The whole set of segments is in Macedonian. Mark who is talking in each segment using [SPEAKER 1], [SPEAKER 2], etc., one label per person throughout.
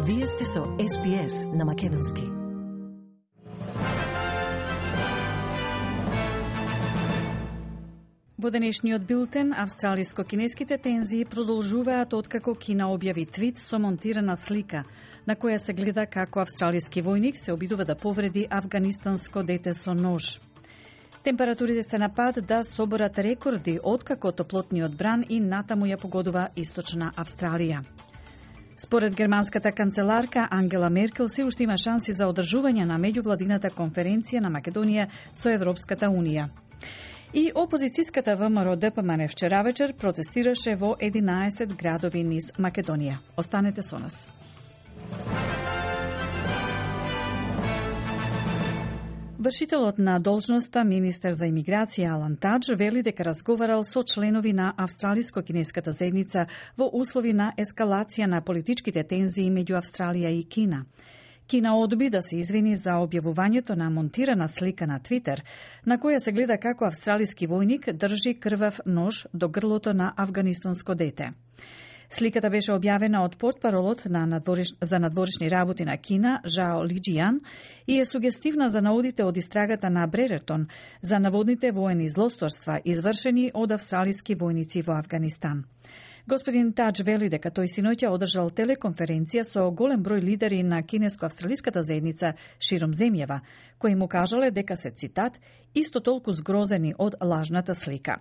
[SPEAKER 1] Вие сте со SPS на Македонски.
[SPEAKER 2] Во денешниот билтен, австралиско-кинеските тензии продолжуваат откако Кина објави твит со монтирана слика, на која се гледа како австралиски војник се обидува да повреди афганистанско дете со нож. Температурите се на пат да соборат рекорди откако топлотниот бран и натаму ја погодува Источна Австралија. Според германската канцеларка Ангела Меркел се уште има шанси за одржување на меѓувладината конференција на Македонија со Европската Унија. И опозицијската ВМРО ДПМН вчера вечер протестираше во 11 градови низ Македонија. Останете со нас. Вршителот на должноста министер за имиграција Алан Тадж вели дека разговарал со членови на австралиско-кинеската заедница во услови на ескалација на политичките тензии меѓу Австралија и Кина. Кина одби да се извини за објавувањето на монтирана слика на Твитер, на која се гледа како австралиски војник држи крвав нож до грлото на афганистанско дете. Сликата беше објавена од портпаролот за надворешни работи на Кина, Жао Лиџијан, и е сугестивна за наудите од истрагата на Бререртон за наводните воени злосторства извршени од австралиски војници во Афганистан. Господин Тадж вели дека тој синоќа одржал телеконференција со голем број лидери на кинеско-австралиската заедница широм земјава, кои му кажале дека се, цитат, исто толку згрозени од лажната слика.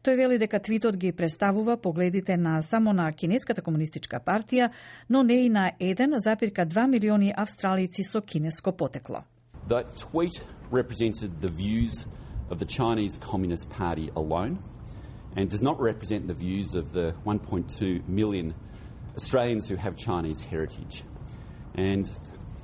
[SPEAKER 2] Тој вели дека твитот ги представува погледите на само на Кинеската комунистичка партија, но не и на 1,2 милиони австралици со кинеско потекло.
[SPEAKER 3] The tweet represented the views of the Chinese Communist Party alone, and does not represent the views of the 1.2 million Australians who have Chinese heritage. And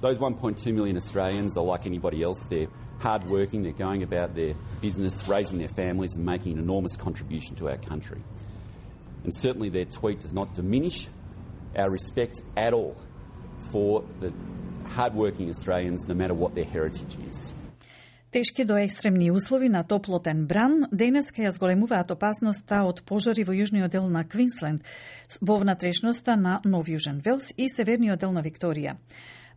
[SPEAKER 3] those 1.2 million Australians are like anybody else. They're hard-working, they're going about their business, raising their families and making an enormous contribution to our country. And certainly their tweet does not diminish our respect at all for the hard-working Australians, no matter what their heritage is.
[SPEAKER 2] Тешки до екстремни услови на топлотен бран денеска ја зголемуваат опасноста од пожари во јужниот дел на Квинсленд, во внатрешноста на Нов Јужен Велс и северниот дел на Викторија.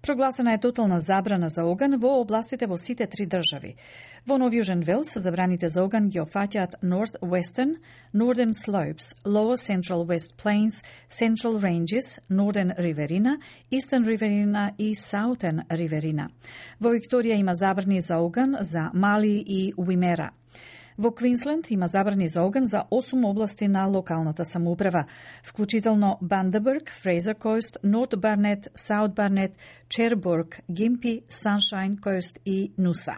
[SPEAKER 2] Прогласена е тотална забрана за оган во областите во сите три држави. Во Нов Јужен Велс забраните за оган ги опфаќаат North Western, Northern Slopes, Lower Central West Plains, Central Ranges, Northern Riverina, Eastern Riverina и Southern Riverina. Во Викторија има забрани за оган за Мали и Уимера. Во Квинсленд има забрани за оган за 8 области на локалната самоуправа, вклучително Бандерберг, Фрейзер Кост, Норт Барнет, Саут Барнет, Чербург, Гимпи, Саншайн Кост и Нуса.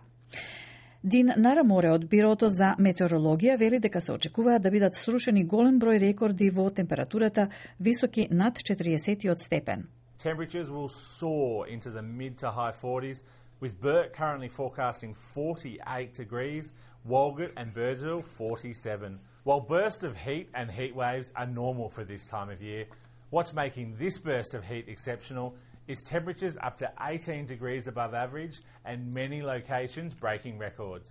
[SPEAKER 2] Дин Нараморе од Бирото за метеорологија вели дека се очекуваат да бидат срушени голем број рекорди во температурата високи над 40 степен.
[SPEAKER 4] Temperatures will soar into the mid to high 40s, with Burt currently forecasting 48 degrees, Walgett and Birdsville 47. While bursts of heat and heat waves are normal for this time of year, what's making this burst of heat exceptional is temperatures up to 18 degrees above average and many locations breaking records.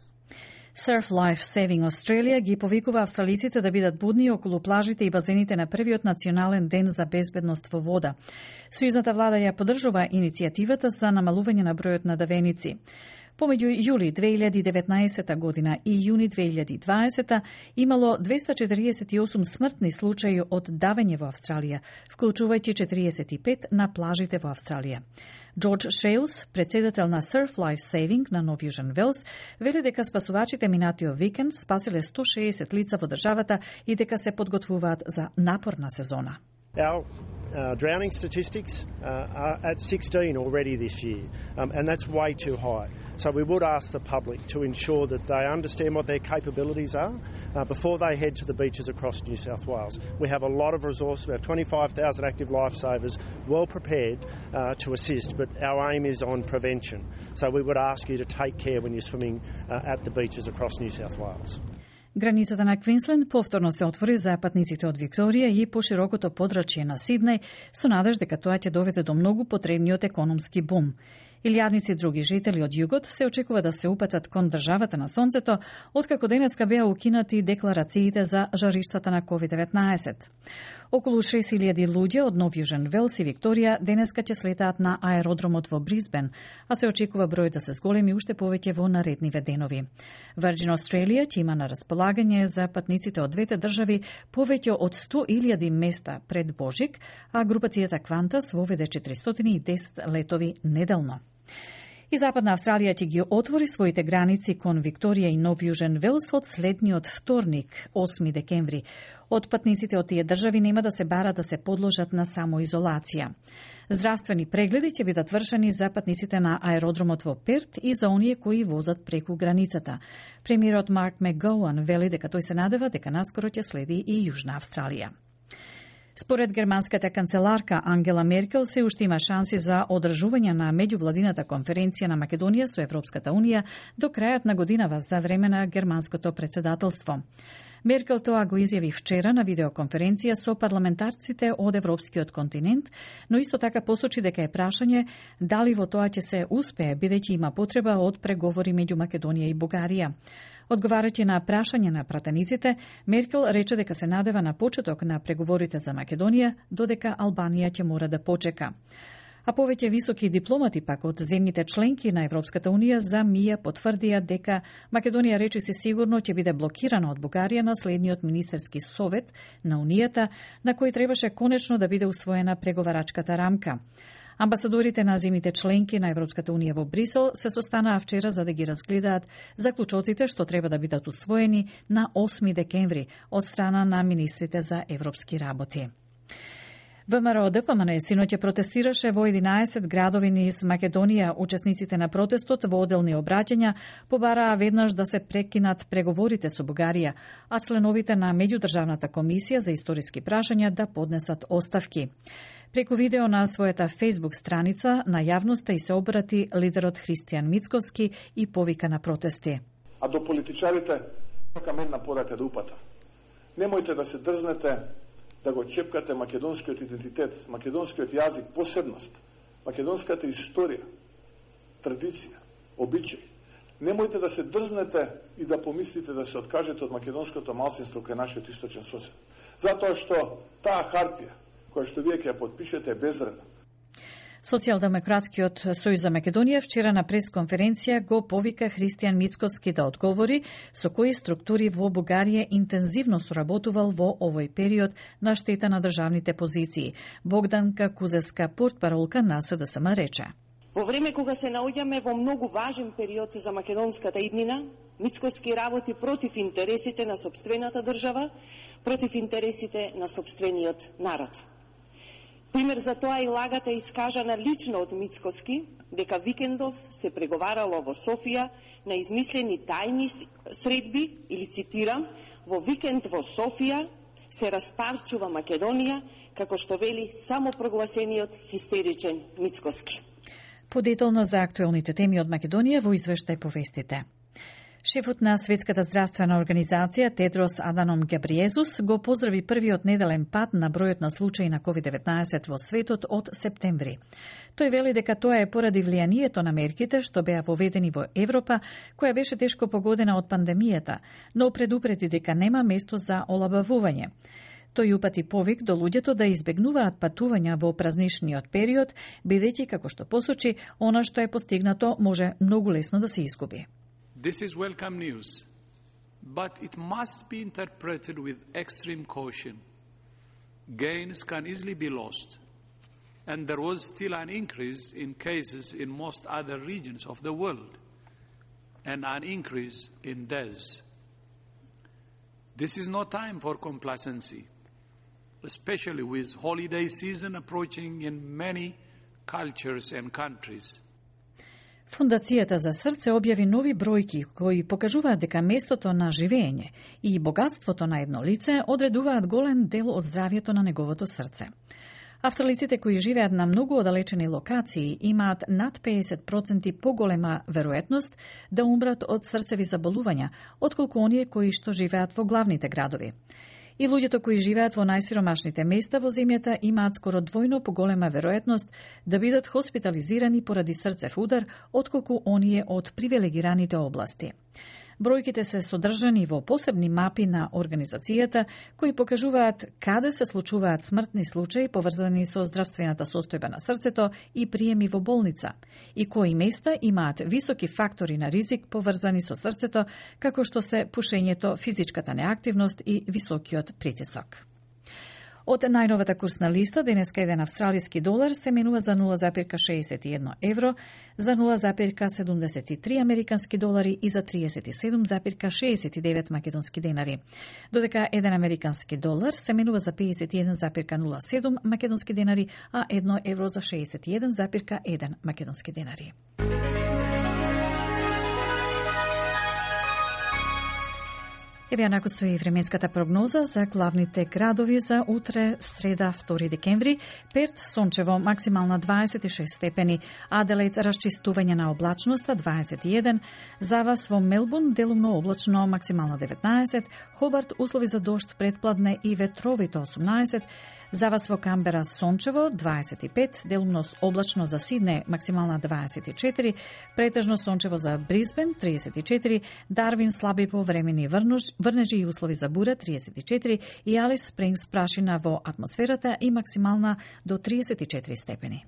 [SPEAKER 2] Surf Life Saving Australia ги повикува австралиците да бидат будни околу плажите и базените на првиот национален ден за безбедност во вода. Сојузната влада ја поддржува иницијативата за намалување на бројот на давеници. Помеѓу јули 2019 година и јуни 2020 имало 248 смртни случаи од давење во Австралија, вклучувајќи 45 на плажите во Австралија. Джордж Шейлс, председател на Surf Life Saving на Нов Јужен Велс, вели дека спасувачите минатиот викенд спасиле 160 лица во државата и дека се подготвуваат за напорна сезона.
[SPEAKER 5] Our drowning statistics are at 16 already this year, and that's way too high. So we would ask the public to ensure that they understand what their capabilities are before they head to the beaches across New South Wales. We have a lot of resources. We have 25,000 active lifesavers well prepared to assist, but our aim is on prevention. So we would ask you to take care when you're swimming at the beaches across New South Wales.
[SPEAKER 2] Границата на Квинсленд повторно се отвори за патниците од Викторија и поширокото подрачје на Сиднеј со надеж дека тоа ќе доведе до многу потребниот економски бум. Илјадници други жители од југот се очекува да се упатат кон државата на сонцето, откако денеска беа укинати декларациите за жариштата на COVID-19. Околу 6000 луѓе од Нов Јужен Велс и Викторија денеска ќе слетаат на аеродромот во Брисбен, а се очекува број да се зголеми уште повеќе во наредниве денови. Virgin Australia ќе има на располагање за патниците од двете држави повеќе од 100.000 места пред Божик, а групацијата Qantas воведе 410 летови неделно. И Западна Австралија ќе ги отвори своите граници кон Викторија и Нов Јужен Велс од следниот вторник, 8 декември. Од патниците од тие држави нема да се бара да се подложат на самоизолација. Здравствени прегледи ќе бидат вршени за патниците на аеродромот во Перт и за оние кои возат преку границата. Премиерот Марк Макгоуан вели дека тој се надева дека наскоро ќе следи и Јужна Австралија. Според германската канцеларка Ангела Меркел се уште има шанси за одржување на меѓувладината конференција на Македонија со Европската Унија до крајот на годинава за време на германското председателство. Меркел тоа го изјави вчера на видеоконференција со парламентарците од Европскиот континент, но исто така посочи дека е прашање дали во тоа ќе се успее, бидејќи има потреба од преговори меѓу Македонија и Бугарија. Одговарајќи на прашање на пратениците, Меркел рече дека се надева на почеток на преговорите за Македонија, додека Албанија ќе мора да почека. А повеќе високи дипломати пак од земјите членки на Европската Унија за МИА потврдија дека Македонија речиси сигурно ќе биде блокирана од Бугарија на следниот министерски совет на Унијата, на кој требаше конечно да биде усвоена преговарачката рамка. Амбасадорите на земјите членки на Европската Унија во Брисел се состанаа вчера за да ги разгледаат заклучоците што треба да бидат усвоени на 8 декември од страна на министрите за европски работи. ВМРО ДПМН синоќа протестираше во 11 градови низ Македонија. Учесниците на протестот во одделни обраќања побараа веднаш да се прекинат преговорите со Бугарија, а членовите на меѓудржавната комисија за историски прашања да поднесат оставки. Преку видео на својата Facebook страница на јавноста и се обрати лидерот Христијан Мицковски и повика на протести.
[SPEAKER 6] А до политичарите сакам една порака да упата. Немојте да се дрзнете да го чепкате македонскиот идентитет, македонскиот јазик, посебност, македонската историја, традиција, обичај. Немојте да се дрзнете и да помислите да се откажете од македонското малцинство кај нашиот источен сосед. Затоа што таа хартија која што вие ќе ја подпишете е безвредна.
[SPEAKER 2] Социјалдемократскиот сојуз за Македонија вчера на пресконференција го повика Христијан Мицковски да одговори со кои структури во Бугарија интензивно соработувал во овој период на штета на државните позиции. Богданка Кузеска, портпаролка на СДСМ, рече:
[SPEAKER 7] Во време кога се наоѓаме во многу важен период за македонската иднина, Мицковски работи против интересите на сопствената држава, против интересите на сопствениот народ. Пример за тоа и лагата искажана лично од Мицковски, дека викендов се преговарало во Софија на измислени тајни средби, или цитирам, во викенд во Софија се распарчува Македонија, како што вели самопрогласениот хистеричен Мицковски.
[SPEAKER 2] Подетално за актуелните теми од Македонија во извештај по вестите. Шефот на Светската здравствена организација Тедрос Аданом Гебриезус го поздрави првиот неделен пад на бројот на случаи на COVID-19 во светот од септември. Тој вели дека тоа е поради влијанието на мерките што беа воведени во Европа, која беше тешко погодена од пандемијата, но предупреди дека нема место за олабавување. Тој упати повик до луѓето да избегнуваат патувања во празничниот период, бидејќи, како што посочи, она што е постигнато може многу лесно да се изгуби.
[SPEAKER 8] This is welcome news, but it must be interpreted with extreme caution. Gains can easily be lost, and there was still an increase in cases in most other regions of the world, and an increase in deaths. This is no time for complacency, especially with holiday season approaching in many cultures and countries.
[SPEAKER 2] Фондацијата за срце објави нови бројки кои покажуваат дека местото на живење и богатството на едно лице одредуваат голем дел од здравјето на неговото срце. Австралиците кои живеат на многу оддалечени локации имаат над 50% поголема веројатност да умрат од срцеви заболувања, отколку оние кои што живеат во главните градови. И луѓето кои живеат во најсиромашните места во земјата имаат скоро двојно поголема веројатност да бидат хоспитализирани поради срцев удар, отколку оние од привилегираните области. Бројките се содржани во посебни мапи на организацијата кои покажуваат каде се случуваат смртни случаи поврзани со здравствената состојба на срцето и приеми во болница и кои места имаат високи фактори на ризик поврзани со срцето, како што се пушењето, физичката неактивност и високиот притисок. Од најновата курсна листа, денеска еден австралиски долар се менува за 0,61 евро, за 0,73 американски долари и за 37,69 македонски денари. Додека еден американски долар се менува за 51,07 македонски денари, а 1 евро за 61,1 македонски денари. Еве нако со и временската прогноза за главните градови за утре, среда, 2 декември. Перт, сончево, максимална 26 степени. Аделаид, расчистување на облачноста, 21. За вас во Мелбурн, делумно облачно, максимална 19. Хобарт, услови за дожд, предпладне и ветровито, 18. За вас во Камбера сончево 25, делумно облачно за Сидне максимална 24, претежно сончево за Брисбен 34, Дарвин слаби повремени врнежи и услови за бура 34 и Алис Спрингс прашина во атмосферата и максимална до 34 степени.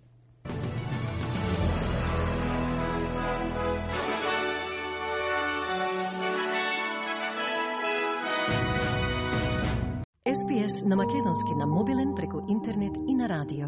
[SPEAKER 1] SPS на македонски на мобилен преку интернет и на радио.